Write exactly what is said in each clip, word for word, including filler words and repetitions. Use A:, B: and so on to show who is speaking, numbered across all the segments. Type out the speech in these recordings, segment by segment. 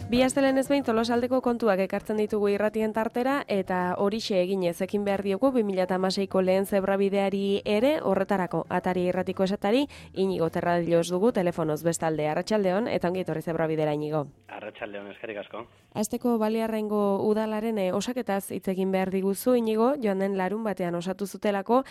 A: Bi astelehen ez behin Tolosaldeko kontuak ekartzen ditugu irratien tartera eta horixe eginez ekin behar diogu bi mila hamaseiko lehen zebrabideari ere horretarako atari irratiko esatari Inigo Terradillos dugu telefonoz bestalde. Arratsaldeon eta ongi etorri zebrabidera Inigo.
B: Arratsaldeon, eskerrik asko.
A: Asteko Baliarraingo udalaren osaketaz hitz egin behar diguzu Inigo, joan den larun batean osatu zutelako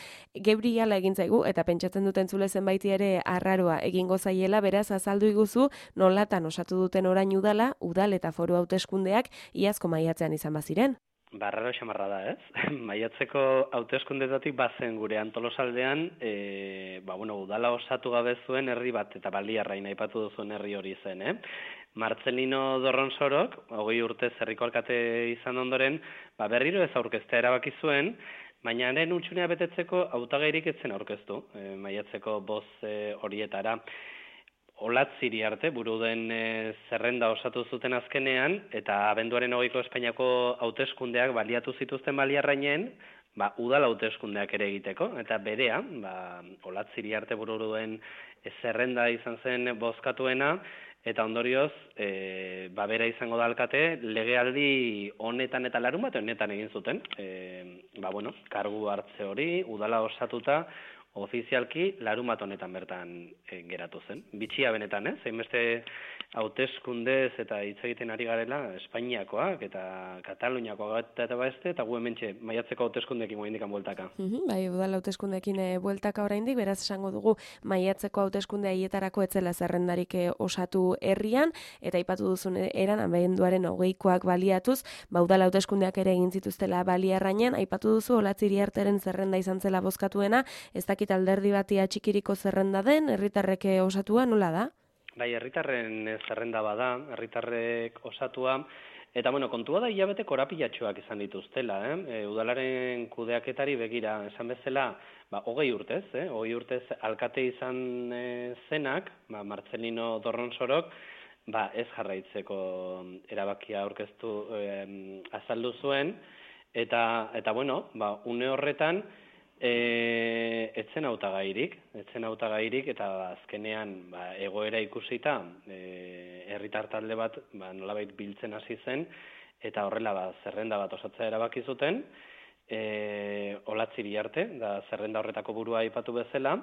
A: geuri hala egin zaigu eta pentsatzen duten zule zenbaiti ere arraroa egingo zaiela, beraz azaldu iguzu nolatan osatu duten orain udala, udal eta foru hauteskundeak iazko maiatzean izan baziren.
B: Barraro xamarra da, ez? Maiatzeko hauteskundetatik bazen gure Tolosaldean, e, ba, bueno, udala osatu gabe zuen herri bat, eta Baliarrain aipatu duzuen herri hori zen, eh? Martzelino Dorronsorok, hogei urtez herriko alkate izan ondoren, ba, berriro ez aurkeztea erabaki zuen, baina haren utxunea betetzeko hautagairik ez zen aurkeztu, e, maiatzeko boz e, horietara. Olatziri arte, buru den e, zerrenda osatu zuten azkenean, eta abenduaren hogeiko Espainiako hauteskundeak baliatu zituzten Baliarrainen, ba, udal hauteskundeak ere egiteko, eta berea, ba, Olatziri arte buru duen e, zerrenda izan zen bozkatuena, eta ondorioz, e, ba, bera izango da alkate, legealdi honetan eta larun bat honetan egin zuten, e, ba, bueno, kargu hartze hori, udala osatuta, ofizialki larun bat honetan bertan e, geratu zen. Bitxia benetan, eh? Zeinbeste hauteskundez eta hitz egiten ari garela Espainiakoak eta Kataluniakoak eta beste, eta gu hementxe maiatzeko hauteskundeekin oraindikan bueltaka.
A: Mhm, bai, udal hauteskundeekin e, bueltaka oraindik, beraz esango dugu maiatzeko hauteskunde haietarako etzela zerrendarik e, osatu herrian, eta aipatu duzun eran abenduaren hogeikoak baliatuz, ba udal hauteskundeak ere egin zituztela Baliarrainean, aipatu duzu Olatziri arteren zerrenda izan zela bozkatuena, ez dakit alderdi batia txikiriko zerrenda den, herritarrek osatua nola da?
B: Bai, herritarren zerrenda bada, herritarrek osatua, eta bueno, kontua da hilabete korapilatxoak izan dituztela, eh? E, udalaren kudeaketari begira, esan bezala, ba, hogei urtez, eh? hogei urtez alkate izan e, zenak, ba, Martzelino Dorronsorok, ba, ez jarraitzeko erabakia aurkeztu e, azaldu zuen, eta, eta bueno, ba, une horretan, E, etzen hautagairik, etzen hautagairik eta azkenean ba, egoera ikusita e, herritar talde bat ba, nolabait biltzen hasi zen eta horrela ba, zerrenda bat osatzea erabaki zuten, e, Olatziri arte, da zerrenda horretako burua aipatu bezala,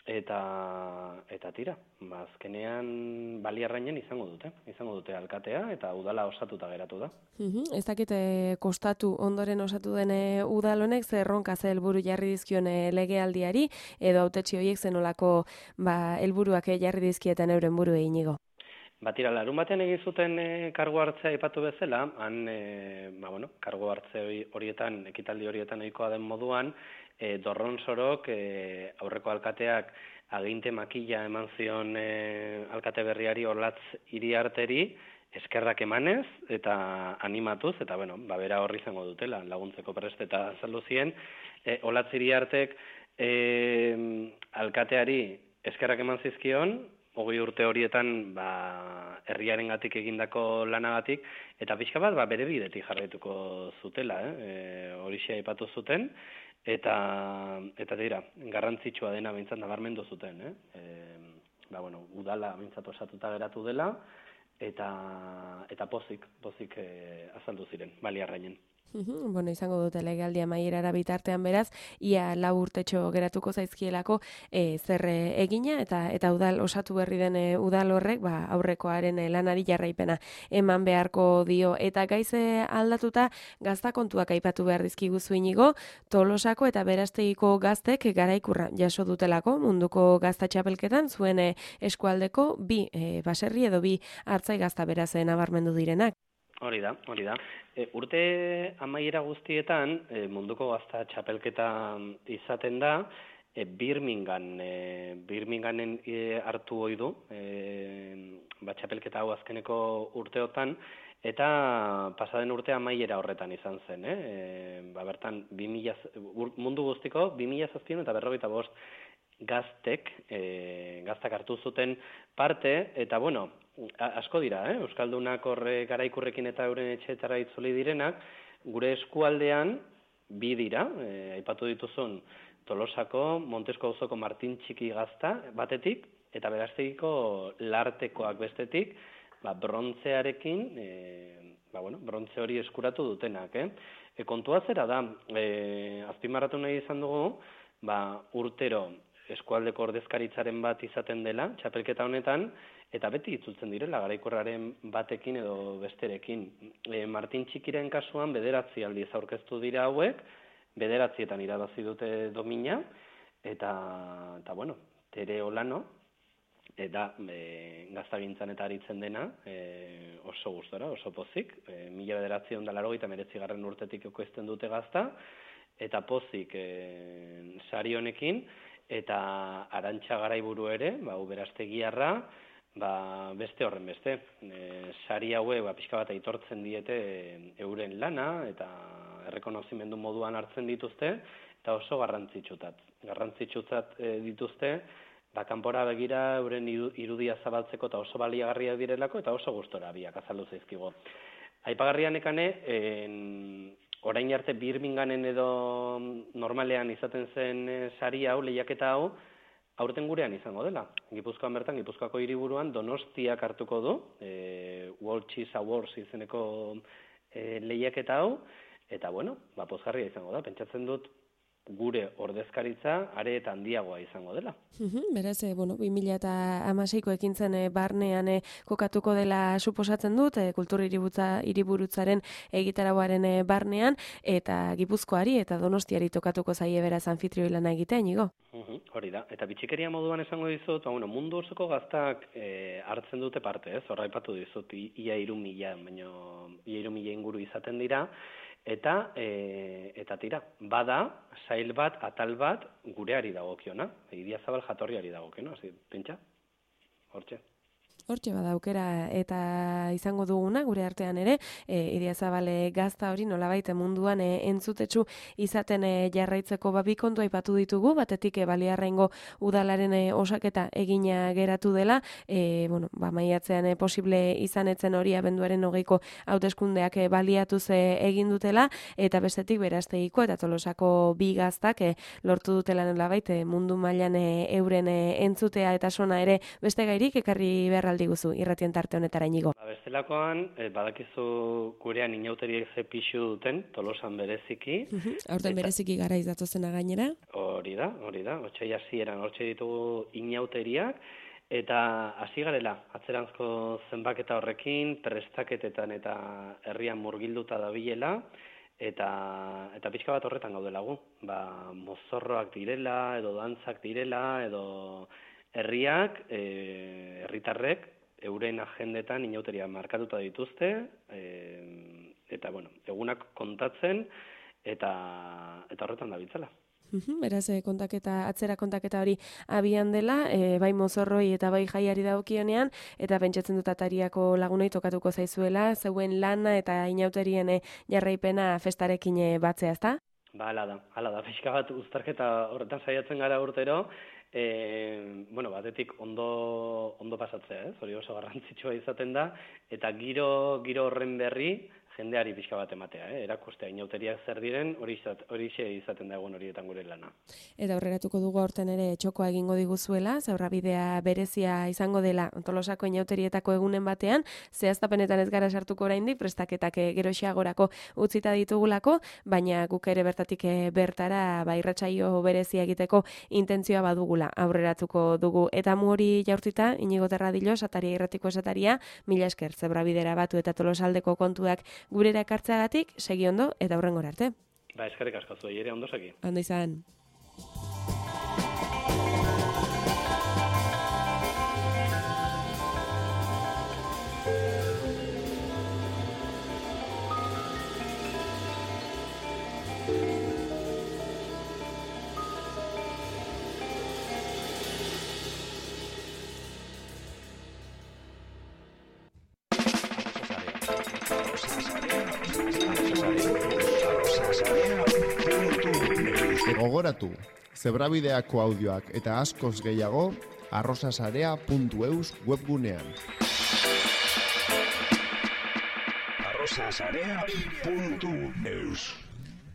B: eta eta tira, ba, azkenean Baliarrainen izango dute, izango dute alkatea eta udala osatuta geratu da.
A: Uhum, ez dakite kostatu ondoren osatu den udal honek zer erronka ze helburu jarri dizkion legealdiari edo hautetsi horiek zenolako ba helburuak jarri dizkieten euren buruei Inigo.
B: Batira, larun batean egin zuten e, kargu hartzea aipatu bezala, han e, ba, bueno, kargu hartze horietan, ekitaldi horietan ohikoa den moduan, e, Dorronsorok e, aurreko alkateak aginte makila eman zion e, alkate berriari Olatz Iriarteri, eskerrak emanez eta animatuz, eta bueno, ba, bera horri izango dutela, laguntzeko prest eta azaldu zien, e, Olatz Iriartek e, alkateari eskerrak eman zizkion, hogei urte horietan ba, herriarengatik egindako lanagatik, eta pixka bat ba, bere bidetik jarraituko zutela, eh? E, horixe aipatu zuten, eta eta dira, garrantzitsua dena behintzat nabarmendu zuten. Eh? E, ba, bueno, udala behintzat osatuta geratu dela, eta, eta pozik, pozik e, azaldu ziren, Baliarrainen.
A: Uhum, bueno, izango dute legealdia amaierara bitartean beraz, ia lau urtetxo geratuko zaizkielako e, zer egina eta eta udal osatu berri den e, udal horrek ba, aurrekoaren e, lanari jarraipena eman beharko dio. Eta gaize aldatuta gazta kontuak aipatu behar dizkiguzu Inigo, Tolosako eta Berastegiko gaztek garaikurra jaso dutelako munduko gazta txapelketan, zuen e, eskualdeko bi e, baserri edo bi hartzai gazta beraz e, nabarmendu direnak.
B: Hori da, hori da. E, urte amaiera guztietan, e, munduko gazta txapelketa izaten da, e, Birmingham, e, Birminghamen e, hartu ohi du, e, ba, txapelketa hau azkeneko urteotan, eta pasaden urte amaiera horretan izan zen. Eh? E, ba, bertan, mundu guztiko, bi mila zazpiehun eta berrogeita bost gaztek, e, gaztak hartu zuten parte, eta bueno, asko dira, eh? Euskaldunak horre garaikurrekin eta euren etxeetara itzuli direnak, gure eskualdean bi dira, e, aipatu dituzun Tolosako, Montesko auzoko Martin Txiki gazta batetik, eta Berastegiko Lartekoak bestetik, ba, brontzearekin, e, ba, bueno, brontze hori eskuratu dutenak. Eh? E, kontua zera da, e, azpimarratu nahi izan dugu, ba, urtero eskualdeko ordezkaritzaren bat izaten dela, txapelketa honetan, eta beti itzultzen direla, garaikorraren batekin edo besterekin. E, Martin Txikiren kasuan bederatzi aldiz aurkeztu dira hauek, bederatzietan irabazi dute domina, eta, eta bueno, Tere Olano, eta e, gaztagintzan eta aritzen dena, e, oso gustora, oso pozik, e, mila bederatziehun eta laurogeita hemeretzi garren urtetik ekoizten dute gazta, eta pozik e, sari honekin, eta Arantxa Garaiburu ere, ba, uberastegiarra, ba, beste horren beste. E, sari haue, ba, pixka bat aitortzen diete e, euren lana, eta errekonozimendu moduan hartzen dituzte, eta oso garrantzitsutat. Garrantzitsutat e, dituzte, ba, kanpora begira euren irudia zabaltzeko eta oso baliagarriak direlako, eta oso gustora biak azaldu zaizkigo. Aipagarrian ekane, en, orain arte Birminghamen edo normalean izaten zen e, sari hau, lehiaketa hau, aurten gurean izango dela. Gipuzkoan bertan, Gipuzkoako hiriburuan Donostiak hartuko du, e, World Cheese Awards izeneko e, lehiaketa hau, eta bueno, ba, pozgarria izango da. Pentsatzen dut gure ordezkaritza are eta handiagoa izango dela.
A: Beraz, e, bueno, bi mila hamaseiko ekintzen e, barnean e, kokatuko dela suposatzen dut, e, kultur hiriburutzaren egitarauaren e, barnean, eta Gipuzkoari eta Donostiari tokatuko zaie beraz anfitrioi lana egitea, Inigo?
B: Uhum, hori da, eta bitxikeria moduan esango dizut, ba, bueno, mundu osoko gaztak e, hartzen dute parte, ez? Horra aipatu dizut, ia hiru mila, baino ia hiru mila inguru izaten dira, eta e, eta tira, bada, sail bat, atal bat, gureari dagokiona, Idiazabal jatorriari dagokiona, hasi, pentsa, hortxe.
A: Hortxe bada aukera eta izango duguna gure artean ere, e, Idiazabal gazta hori nolabait munduan e, entzutetsu izaten e, jarraitzeko ba bi kontu aipatu ditugu, batetik e, Baliarraingo udalaren e, osaketa egina geratu dela, e, bueno, ba maiatzean e, posible izan etzen hori abenduaren hogeiko hauteskundeak e, baliatuz e, egin dutela, eta bestetik Beraztegiko eta Tolosako bi gaztak e, lortu dutela nolabait e, mundu mailan e, euren e, entzutea eta sona ere beste gairik ekarri beharra diguzu irratien tarte honetara, Inigo.
B: Ba, bestelakoan, eh, badakizu gurean inauteriek ze pixu duten, Tolosan bereziki.
A: Uh-huh. Aurten eta bereziki garaiz datozena gainera.
B: Hori da, hori da. Otsai hasieran hortxe ditugu inauteriak, eta hasi garela, atzeranzko zenbaketa horrekin, prestaketetan eta herrian murgilduta dabilela, eta eta pixka bat horretan gaudelagu. Ba, mozorroak direla, edo dantzak direla, edo herriak, e, herritarrek, euren agendetan inauteria markatuta dituzte, e, eta, bueno, egunak kontatzen, eta, eta horretan dabiltzala.
A: Beraz, kontaketa, atzera kontaketa hori abian dela, e, bai mozorroi eta bai jaiari dagokionean, eta pentsatzen dut atariako lagunei tokatuko zaizuela, zeuen lana eta inauterien e, jarraipena festarekin e, batzea, ezta?
B: Ba, ala da, ala da, pixka bat uztarketa horretan saiatzen gara urtero, E, bueno, batetik ondo, ondo pasatzea, ez? Hori oso garrantzitsua izaten da, eta giro, giro horren berri jendeari pixka bat ematea, eh? Erakustea inauteriak zer diren, hori izaten da egun horietan gure lana.
A: Eta aurreratuko dugu aurten ere txokoa egingo diguzuela, Zaurrabidea berezia izango dela Tolosako inauterietako egunen batean, zehaztapenetan ez gara sartuko oraindik, prestaketak geroxiagorako utzita ditugulako, baina guk ere bertatik bertara ba irratsaio berezia egiteko intentzioa badugula aurreratuko dugu. Eta mu hori jaurtita, Inigo Terradillo, Sataria irratiko esataria, mila esker Zaurrabidera batu eta Tolosaldeko kontuak gurera ekartzeagatik, segi ondo eta hurrengora arte.
B: Ba, eskerrik asko zuei ere ondo segi.
A: Ondo izan.
C: Gogoratu, Zebrabideako audioak eta askoz gehiago arrosasarea puntu eus webgunean. arrosasarea puntu eus